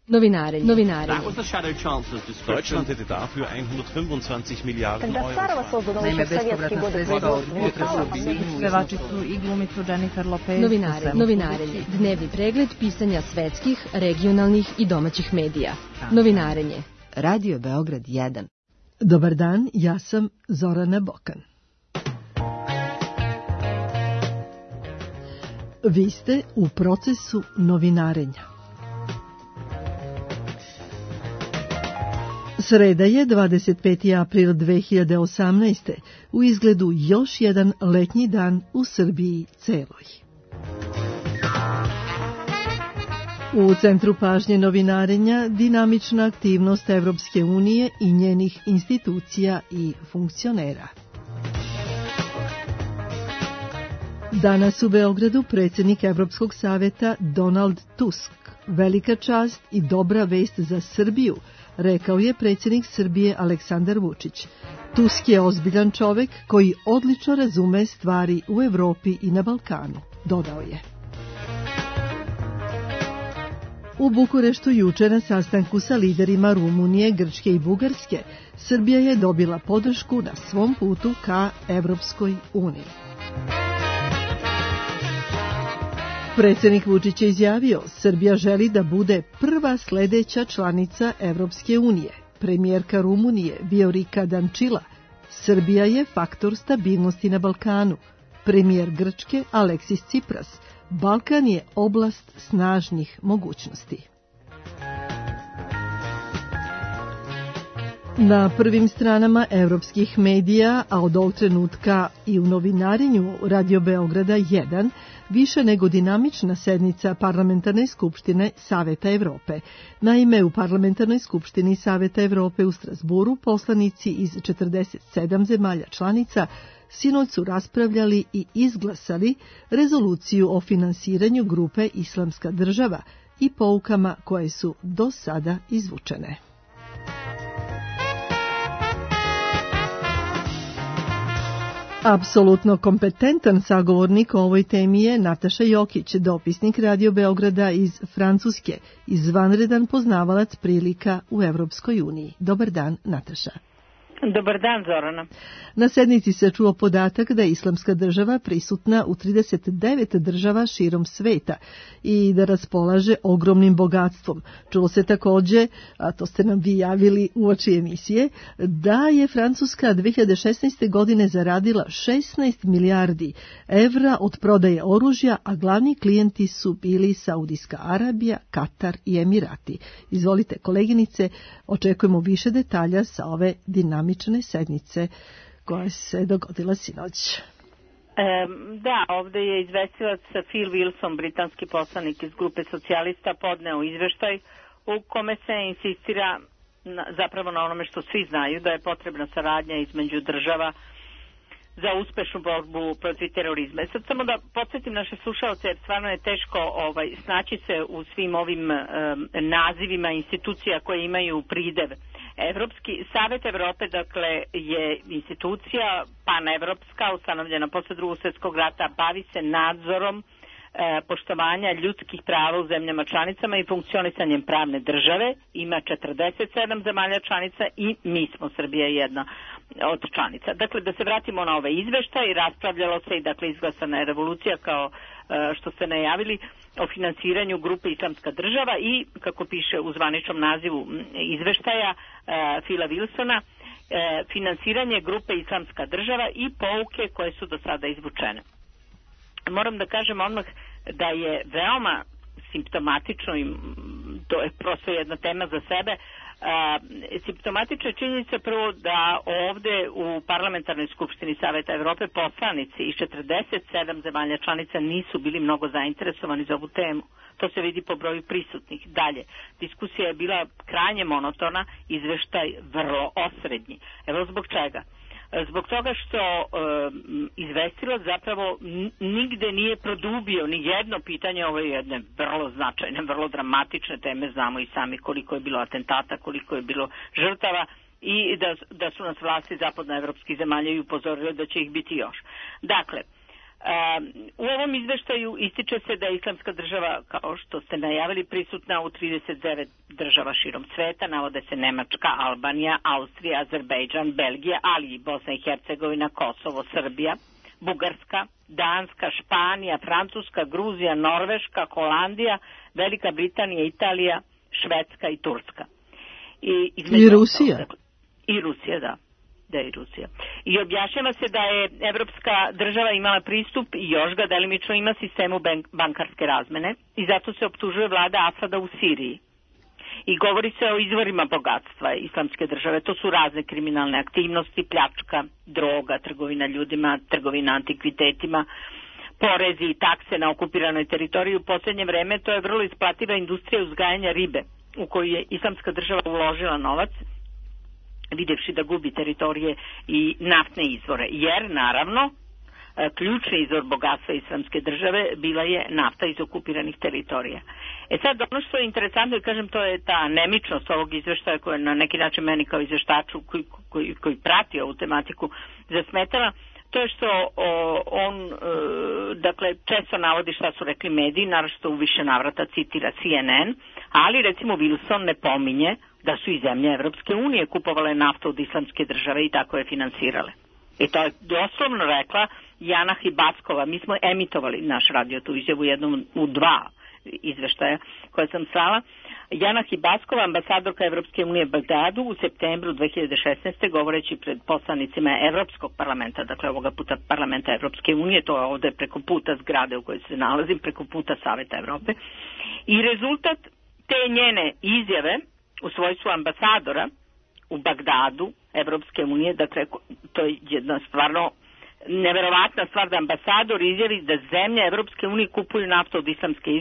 Novinare. That was the Shadow Chancellor's description. Deutschland hätte dafür 125 Milijarden Euro. Naime, bespovratna sredstva od pevačicu i glumicu Jennifer Lopez. Novinarenje. Dnevni pregled pisanja svetskih, regionalnih i domaćih medija. Novinarenje. Radio Beograd 1. Dobar dan, ja sam Zorana Bokan. Vi ste u procesu novinarenja. Sreda je 25. april 2018. U izgledu još jedan letnji dan u Srbiji celoj. U centru pažnje novinarenja dinamična aktivnost Evropske unije i njenih institucija i funkcionera. Danas u Beogradu predsjednik Evropskog saveta Donald Tusk. Velika čast i dobra vest za Srbiju, rekao je predsjednik Srbije Aleksandar Vučić. Tusk je ozbiljan čovek koji odlično razume stvari u Evropi i na Balkanu, dodao je. U Bukureštu juče na sastanku sa liderima Rumunije, Grčke i Bugarske, Srbija je dobila podršku na svom putu ka Evropskoj uniji. Predsjednik Vučić je izjavio, Srbija želi da bude prva sledeća članica Evropske unije. Premijerka Rumunije Viorika Dančila, Srbija je faktor stabilnosti na Balkanu. Premijer Grčke Aleksis Tsipras, Balkan je oblast snažnih mogućnosti. Na prvim stranama evropskih medija, a od ovog trenutka i u novinarenju Radio Beograda 1, više nego dinamična sednica Parlamentarne skupštine Saveta Evrope. Naime, u Parlamentarnoj skupštini Saveta Evrope u Strasburu poslanici iz 47 zemalja članica sinoć su raspravljali i izglasali rezoluciju o finansiranju grupe Islamska država i poukama koje su do sada izvučene. Apsolutno kompetentan sagovornik o ovoj temi je Nataša Jokić, dopisnik Radio Beograda iz Francuske, izvanredan poznavalac prilika u Evropskoj uniji. Dobar dan, Nataša. Dobar dan, Zorana. Na sednici se čuo podatak da je Islamska država prisutna u 39 država širom sveta i da raspolaže ogromnim bogatstvom. Čulo se takođe, a to ste nam vi javili uoči emisije, da je Francuska 2016. godine zaradila 16 milijardi evra od prodaje oružja, a glavni klijenti su bili Saudijska Arabija, Katar i Emirati. Izvolite, koleginice, očekujemo više detalja sa ove dinamične sednice koja se dogodila sinoć. Da, ovdje je izvestilac Phil Wilson, britanski poslanik iz grupe socijalista, podneo izveštaj u kome se insistira zapravo na onome što svi znaju, da je potrebna saradnja između država za uspešnu borbu protiv terorizma. Sad samo da podsjetim naše slušalce, jer stvarno je teško snaći se u svim ovim nazivima institucija koje imaju pridev. Evropski Savet Evrope, dakle, je institucija panevropska, ustanovljena posle Drugog svjetskog rata, bavi se nadzorom poštovanja ljudskih prava u zemljama članicama i funkcionisanjem pravne države. Ima 47 zemalja članica i mi smo, Srbija, jedna od članica. Dakle, da se vratimo na ove izveštaje, raspravljalo se i, dakle, izglasana je revolucija kao što ste najavili o finansiranju grupe Islamska država i, kako piše u zvaničnom nazivu izveštaja Phila Wilsona, finansiranje grupe Islamska država i pouke koje su do sada izvučene. Moram da kažem odmah da je veoma simptomatično, i to je prosto jedna tema za sebe, simptomatična je činjenica prvo da ovde u Parlamentarnoj skupštini Saveta Evrope poslanici iz 47 zemalja članica nisu bili mnogo zainteresovani za ovu temu. To se vidi po broju prisutnih. Dalje, diskusija je bila krajnje monotona, izveštaj vrlo osrednji. Evo zbog čega. Zbog toga što izvestilac zapravo nigde nije produbio ni jedno pitanje, ovo je jedne vrlo značajne, vrlo dramatične teme, znamo i sami koliko je bilo atentata, koliko je bilo žrtava i da su nas vlasti zapadnoevropskih zemalja i upozorile da će ih biti još. Dakle, U ovom izveštaju ističe se da je Islamska država, kao što ste najavili, prisutna u 39 država širom sveta, navode se Nemačka, Albanija, Austrija, Azerbejdžan, Belgija, ali i Bosna i Hercegovina, Kosovo, Srbija, Bugarska, Danska, Španija, Francuska, Gruzija, Norveška, Holandija, Velika Britanija, Italija, Švedska i Turska. I Rusija. I Rusija, da. Da je Rusija. I objašnjava se da je Evropska država imala pristup i još ga delimično ima sistemu bankarske razmene i zato se optužuje vlada Asada u Siriji. I govori se o izvorima bogatstva Islamske države. To su razne kriminalne aktivnosti, pljačka, droga, trgovina ljudima, trgovina antikvitetima, porezi i takse na okupiranoj teritoriji. U posljednje vreme to je vrlo isplativa industrija uzgajanja ribe u koju je Islamska država uložila novac, vidjevši da gubi teritorije i naftne izvore. Jer, naravno, ključni izvor bogatstva Islamske države bila je nafta iz okupiranih teritorija. Sad, ono što je interesantno, i kažem, to je ta nemičnost ovog izveštaja koja na neki način meni kao izveštaču koji prati ovu tematiku zasmetala, to je što on, dakle, često navodi šta su rekli mediji, naročito u više navrata citira CNN, ali recimo Wilson ne pominje da su i zemlje Evropske unije kupovale naftu od Islamske države i tako je finansirale. I to je doslovno rekla Jana Hibackova. Mi smo emitovali naš radio tu izjavu jednom u 2 izveštaja koje sam slala. Jana Hibackova, ambasadorka Evropske unije u Bagdadu, u septembru 2016. govoreći pred poslanicima Evropskog parlamenta, dakle ovoga puta parlamenta Evropske unije, to je ovde preko puta zgrade u kojoj se nalazim, preko puta Saveta Evrope. I rezultat te njene izjave u svojstvu ambasadora u Bagdadu Evropske unije, dakle to je jedna stvarno neverovatna stvar da ambasador izjavi da zemlje Evropske unije kupuju naftu od Islamske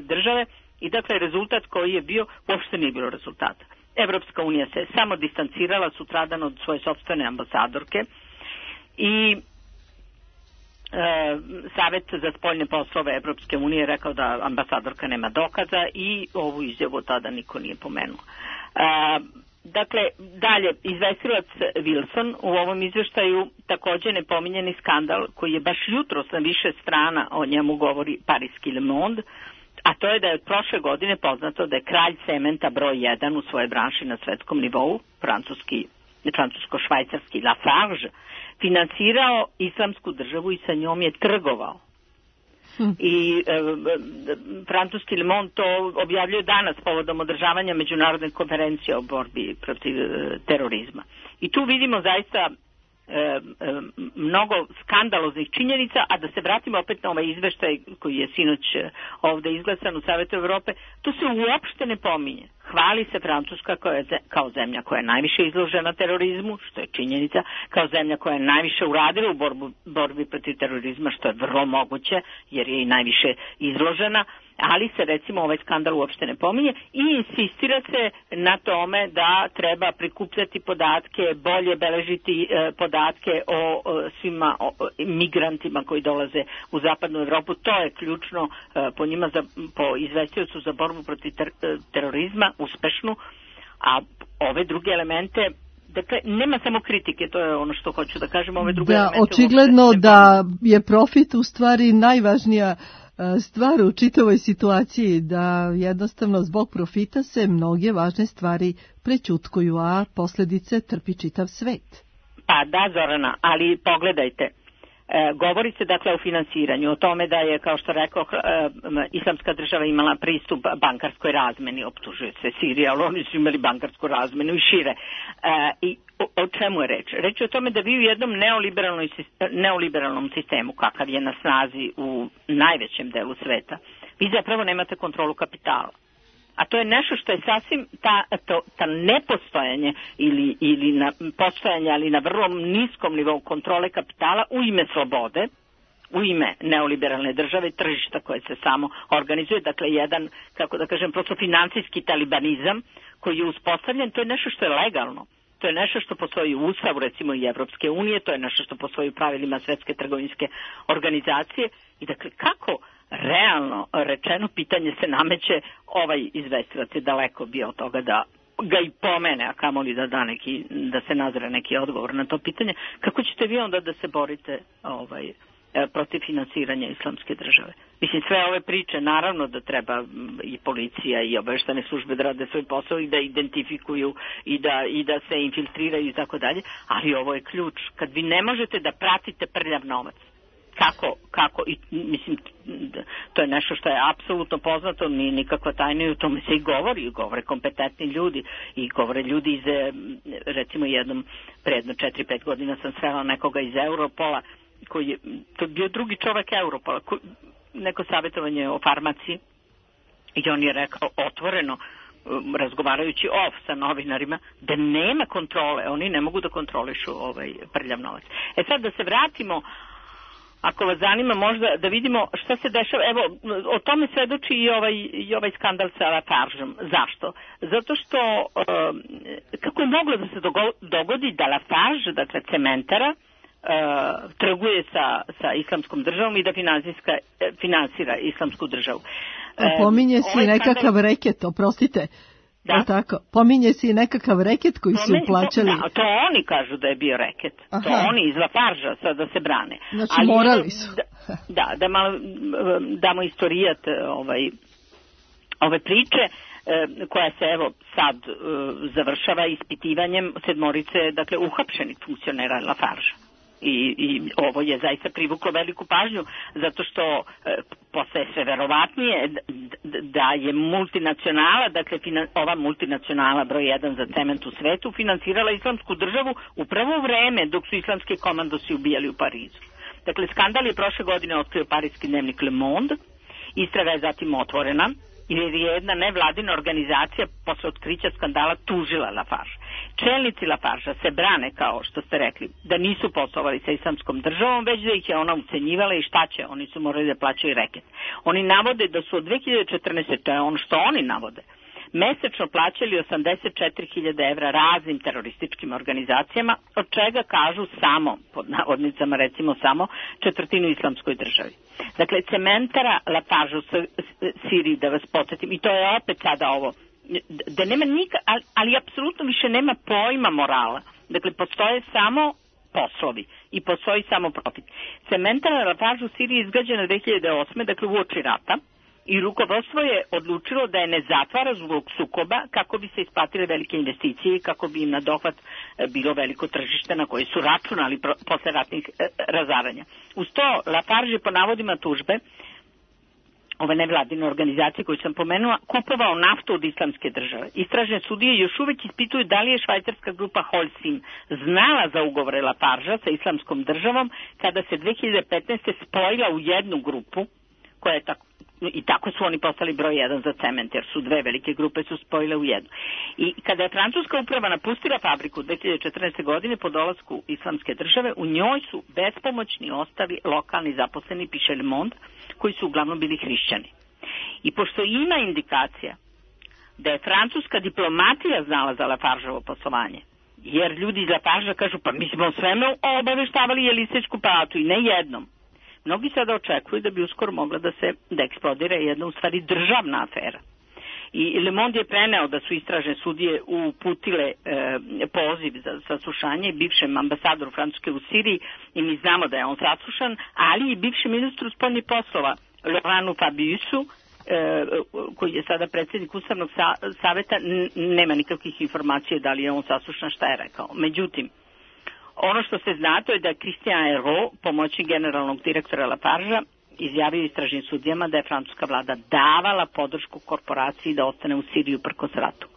države i dakle rezultat koji je bio, uopšte nije bilo rezultata. Evropska unija se samo distancirala sutradan od svoje sopstvene ambasadorke i Savet za spoljne poslove Evropske unije je rekao da ambasadorka nema dokaza i ovu izjavu tada niko nije pomenuo. Dakle, dalje, izvestilac Wilson u ovom izveštaju također nepominjeni skandal koji je baš jutros na više strana o njemu govori Pariski Le Monde, a to je da je od prošle godine poznato da je kralj cementa broj 1 u svojoj branši na svetskom nivou, francusko-švajcarski Lafarge, finansirao Islamsku državu i sa njom je trgovao. I francuski Le Monde to objavljuje danas povodom održavanja međunarodne konferencije o borbi protiv terorizma. I tu vidimo zaista mnogo skandaloznih činjenica, a da se vratimo opet na ovaj izveštaj koji je sinoć ovde izglasan u Savetu Evrope, to se uopšte ne pominje. Hvali se Francuska kao zemlja koja je najviše izložena terorizmu, što je činjenica, kao zemlja koja je najviše uradila u borbi protiv terorizma, što je vrlo moguće, jer je i najviše izložena, ali se recimo ovaj skandal uopšte ne pominje i insistira se na tome da treba prikupljati podatke, bolje beležiti podatke o svima migrantima koji dolaze u zapadnu Evropu. To je ključno po njima, po izvestiocu za borbu protiv terorizma, uspešnu, a ove druge elemente, dakle, nema samo kritike, to je ono što hoću da kažem, ove druge elemente. Da, očigledno da je profit u stvari najvažnija stvar u čitavoj situaciji, da jednostavno zbog profita se mnoge važne stvari prećutkuju, a posljedice trpi čitav svet. Pa da, Zorana, ali pogledajte, govori se dakle o finansiranju, o tome da je, kao što rekao, Islamska država imala pristup bankarskoj razmeni, optužuje se Sirija, ali oni su imali bankarsku razmenu i šire. I o čemu je reč? Reč je o tome da vi u jednom neoliberalnom sistemu, kakav je na snazi u najvećem delu sveta, vi zapravo nemate kontrolu kapitala. A to je nešto što je sasvim ta nepostojanje ili na postojanje, ali na vrlo niskom nivou kontrole kapitala u ime slobode, u ime neoliberalne države, tržišta koje se samo organizuje, dakle jedan, kako da kažem, prosto financijski talibanizam koji je uspostavljen, to je nešto što je legalno. To je nešto što postoji u Ustavu, recimo i Evropske unije, to je nešto što postoji u pravilima Svetske trgovinske organizacije. I dakle, kako realno rečeno pitanje se nameće, ovaj izvestilac je daleko bio od toga da ga i pomene, a kamoli da se nazre neki odgovor na to pitanje. Kako ćete vi onda da se borite protiv finansiranja islamske države. Mislim, sve ove priče, naravno da treba i policija i obavještajne službe da rade svoj posao i da identifikuju i da se infiltriraju i tako dalje, ali ovo je ključ. Kad vi ne možete da pratite prljav novac, kako, i mislim, to je nešto što je apsolutno poznato, nije nikakva tajna i o tome se i govore kompetentni ljudi i govore ljudi iz, recimo predno 4-5 godina sam srela nekoga iz Europola, koji je, to je bio drugi čovek Europola, neko savjetovanje o farmaciji i on je rekao otvoreno, razgovarajući sa novinarima, da nema kontrole, oni ne mogu da kontrolišu prljav novac. Sad da se vratimo, ako vas zanima možda da vidimo šta se dešava, evo, o tome svedoči i ovaj skandal sa Lafargeom. Zašto? Zato što, kako je moglo da se dogodi da Lafarge, dakle cementara, trguje sa islamskom državom i da finansira islamsku državu. Pominje se i nekakav reket, oprostite. Da. Tako. Pominje se i nekakav reket koji su plaćali. Da, to oni kažu da je bio reket. Aha. To oni iz Lafargea sada se brane. Znači ali morali su. Da malo damo istorijat ove priče koja se evo sad završava ispitivanjem 7 dakle uhapšenih funkcionera Lafargea. I ovo je zaista privuklo veliku pažnju zato što postaje sve verovatnije da je multinacionala, dakle ova multinacionala broj 1 za cement u svetu finansirala islamsku državu upravo u vreme dok su islamski komandosi ubijali u Parizu. Dakle, skandal je prošle godine otkrio parijski dnevnik Le Monde, istraga je zatim otvorena jer je jedna nevladina organizacija posle otkrića skandala tužila Lafarge. Čelnici Lafargea se brane, kao što ste rekli, da nisu poslovali sa islamskom državom, već da ih je ona ucenjivala i šta će, oni su morali da plaćaju reket. Oni navode da su od 2014. to je ono što oni navode, mesečno plaćali 84.000 evra raznim terorističkim organizacijama, od čega kažu samo, pod navodnicama recimo samo, 1/4 islamskoj državi. Dakle, cementara Lafarge u Siriji, da vas podsjetim, i to je opet sada ovo, da nema ali apsolutno više nema pojma morala. Dakle, postoje samo poslovi i postoji samo profit. Cementara Lafarge u Siriji izgrađena 2008. dakle uoči rata, i rukovodstvo je odlučilo da je ne zatvara zbog sukoba kako bi se isplatile velike investicije i kako bi im na dohvat bilo veliko tržište na koje su računali posle ratnih razaranja. Uz to Lafarge je po navodima tužbe ove nevladine organizacije koju sam pomenula, kupovao naftu od islamske države. Istražne sudije još uvek ispituju da li je švajcarska grupa Holcim znala za ugovore Lafargea sa islamskom državom kada se 2015. spojila u jednu grupu koja je i tako su oni postali broj 1 za cement, jer su dve velike grupe su spojile u jednu. I kada je francuska uprava napustila fabriku 2014. godine po dolasku islamske države, u njoj su bespomoćni ostali lokalni zaposleni, piše Le Monde, koji su uglavnom bili hrišćani. I pošto ima indikacija da je francuska diplomatija znala za Lafargeovo poslovanje, jer ljudi iz Lafargea kažu, pa mi smo sveme obaveštavali Jelisejsku palatu i ne jednom. Mnogi sada očekuju da bi uskoro mogla da eksplodira jedna u stvari državna afera. I Le Monde je preneo da su istražne sudije uputile poziv za saslušanje bivšem ambasadoru Francuske u Siriji i mi znamo da je on saslušan, ali i bivšem ministru spoljnih poslova Laurentu Fabiusu, koji je sada predsjednik Ustavnog saveta, nema nikakvih informacija da li je on saslušan, šta je rekao. Međutim, ono što se zna to je da Christian Hérault, pomoćnik generalnog direktora Lafargea, izjavio istražnim sudijama da je francuska vlada davala podršku korporaciji da ostane u Siriji uprkos ratu.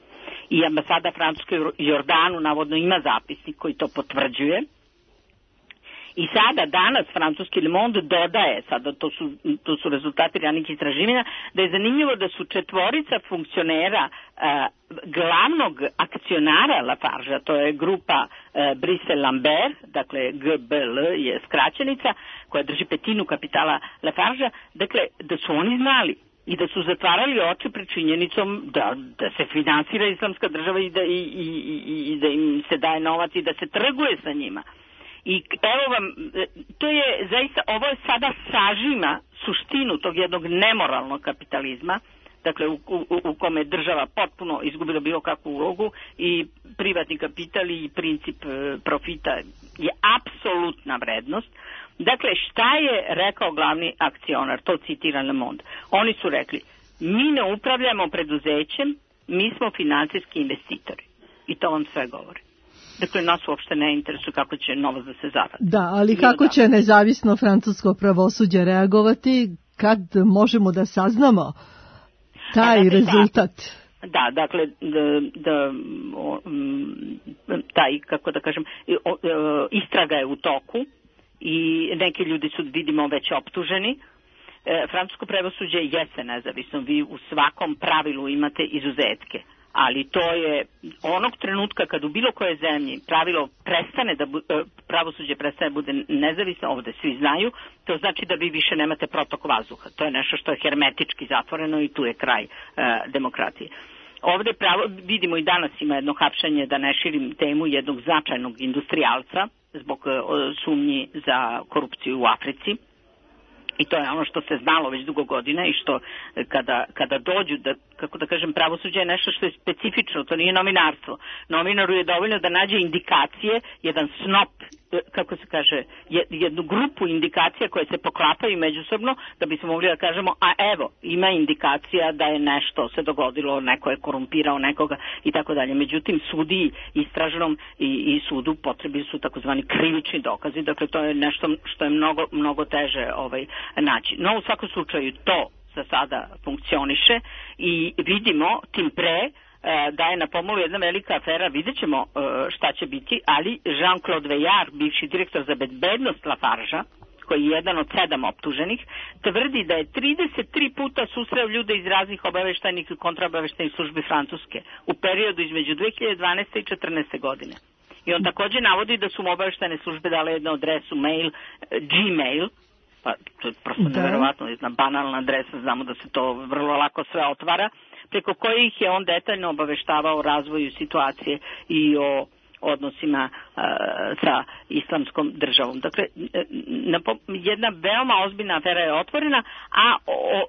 I ambasada Francuske u Jordanu navodno ima zapisnik koji to potvrđuje. I sada, danas, francuski Le Monde dodaje, sada to su rezultati ranih istraživanja, da je zanimljivo da su 4 funkcionera glavnog akcionara Lafargea, to je grupa Brice Lambert, dakle GBL je skraćenica, koja drži 1/5 kapitala Lafargea, dakle da su oni znali i da su zatvarali oči pred činjenicom da se finansira islamska država i da im se daje novac i da se trguje sa njima. I evo vam, to je zaista, ovo je sada sažima suštinu tog jednog nemoralnog kapitalizma, dakle u kome država potpuno izgubila bilo kakvu ulogu i privatni kapital i princip profita je apsolutna vrednost. Dakle, šta je rekao glavni akcionar, to citira Le Monde. Oni su rekli, mi ne upravljamo preduzećem, mi smo finansijski investitori. I to vam sve govori. Dakle, nas uopšte ne interesuje kako će novac da se zaradi. Da, ali kako će nezavisno francusko pravosuđe reagovati kad možemo da saznamo taj rezultat? Da, dakle, taj, kako da kažem, istraga je u toku i neki ljudi su, vidimo, već optuženi. Francusko pravosuđe jeste nezavisno, vi u svakom pravilu imate izuzetke, ali to je onog trenutka kad u bilo koje zemlji pravosuđe prestane da bude nezavisno, ovde svi znaju, to znači da vi više nemate protok vazduha. To je nešto što je hermetički zatvoreno i tu je kraj demokratije. Ovde vidimo i danas ima jedno hapšenje, da ne širim temu, jednog značajnog industrijalca zbog sumnji za korupciju u Africi. I to je ono što se znalo već dugo godina i što kada dođu, kako da kažem, pravosuđe je nešto što je specifično, to nije novinarstvo. Novinaru je dovoljno da nađe indikacije, jedan snop, kako se kaže, jednu grupu indikacija koje se poklapaju međusobno, da bismo mogli da kažemo, a evo, ima indikacija da je nešto se dogodilo, neko je korumpirao nekoga i tako dalje. Međutim, sudiji istražnom i sudu potrebi su takozvani krivični dokazi, dakle to je nešto što je mnogo teže naći. No, u svakom slučaju to za sada funkcioniše i vidimo tim pre da je na pomolu jedna velika afera, vidjet ćemo šta će biti, ali Jean-Claude Veillard, bivši direktor za bezbednost Lafargea, koji je jedan od 7 optuženih, tvrdi da je 33 puta susreo ljude iz raznih obaveštajnih i kontraobaveštajnih službi Francuske u periodu između 2012. i 2014. godine. I on takođe navodi da su mu obaveštajne službe dale jednu adresu mail, Gmail, pa to je prosto neverovatno, jedna banalna adresa, znamo da se to vrlo lako sve otvara, preko kojih je on detaljno obaveštavao o razvoju situacije i o odnosima sa islamskom državom. Dakle, jedna veoma ozbiljna afera je otvorena, a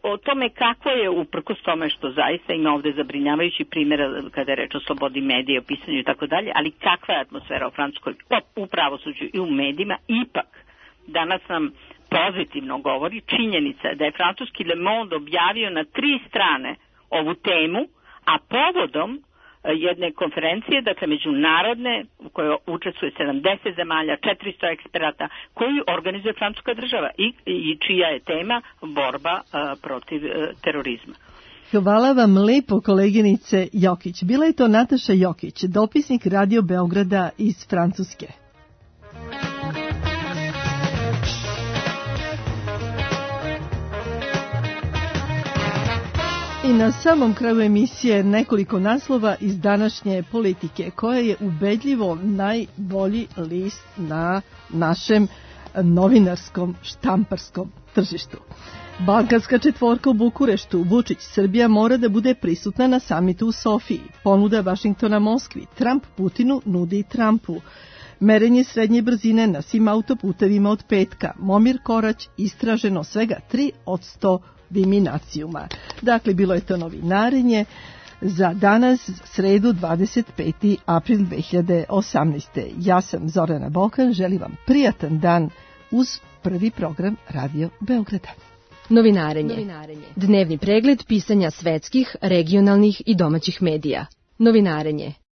o tome kako je, uprkos tome što zaista ima ovde zabrinjavajući primjera kada je reč o slobodi medija, o pisanju i tako dalje, ali kakva je atmosfera u Francuskoj, u pravosuđu i u medijima, ipak danas nam pozitivno govori činjenica da je francuski Le Monde objavio na 3 strane ovu temu, a povodom jedne konferencije, dakle međunarodne, u kojoj učestvuje 70 zemalja, 400 eksperata, koju organizuje francuska država i čija je tema borba protiv terorizma. Hvala vam lepo, koleginice Jokić. Bila je to Nataša Jokić, dopisnik Radio Beograda iz Francuske. I na samom kraju emisije nekoliko naslova iz današnje Politike, koja je ubedljivo najbolji list na našem novinarskom štamparskom tržištu. Balkanska četvorka u Bukureštu, Vučić, Srbija mora da bude prisutna na samitu u Sofiji. Ponuda Vašingtona Moskvi, Trump Putinu nudi Trumpu. Merenje srednje brzine na svim autoputevima od petka. Momir Korać, istraženo svega 3% diminacijuma. Dakle, bilo je to novinarenje za danas, sredu 25. april 2018. Ja sam Zorana Bokan, želim vam prijatan dan uz prvi program Radio Beograda. Novinarenje. Dnevni pregled pisanja svetskih, regionalnih i domaćih medija. Novinarenje.